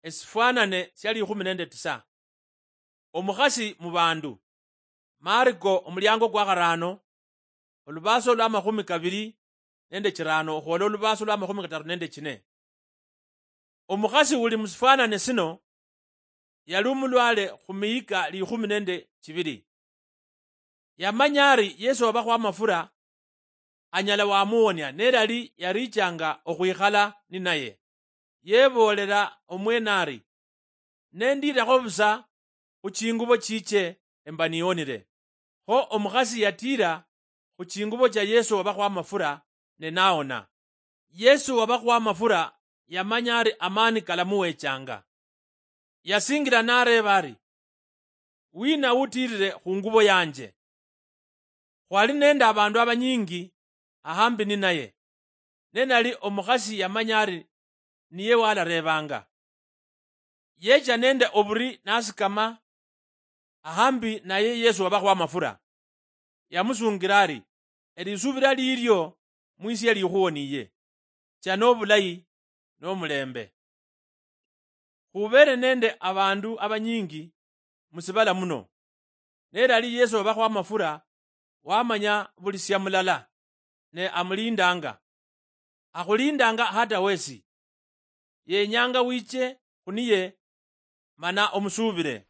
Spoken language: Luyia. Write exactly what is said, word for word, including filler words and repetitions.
Esifwanane sia likhumi nende tisa. Omukhasi mu bandu. Mariko omuliango kwa kharano, olubaso lwa makhumi kabiri nende chirano okhwola olubaso lwa makhumi kataru nende chine. Omukhasi uli musifwanane sino yali omulwale khumiyika likhumi nende chibiri. Yamanya ari Yesu wabakho amafura anyala wamuwonia, nerali yarichanga okhwikhala ninaye. Yeboolela omwene ari, nendirakho busa khu chingubo chiche emba niwonire. Kho omukhasi yatira khu chingubo cha Yesu wabakho amafura ne nawona. Yesu wabakho amafura yamanya ari amani kalamuwechanga. Yasingira nareeba ari, wina utirire khu ngubo yanje? Khwali nende abandu abanyingi ahambi ninaye, ne nali omukhasi yamanya ari niye walareebanga. Yecha nende oburi nasikama ahambi naye Yesu wabakho amafura. Yamusungira ari, elisubira lilio mwisia likhuwoniye. Cha nobulayi nomulembe. Khubere nende abandu abanyingi musibala muno, nerali Yesu wabakho amafura wamanya buli sia mulala, ne amulindanga. Akhulindanga hata wesi. Yenyanga wiche khuniye mana omusubire.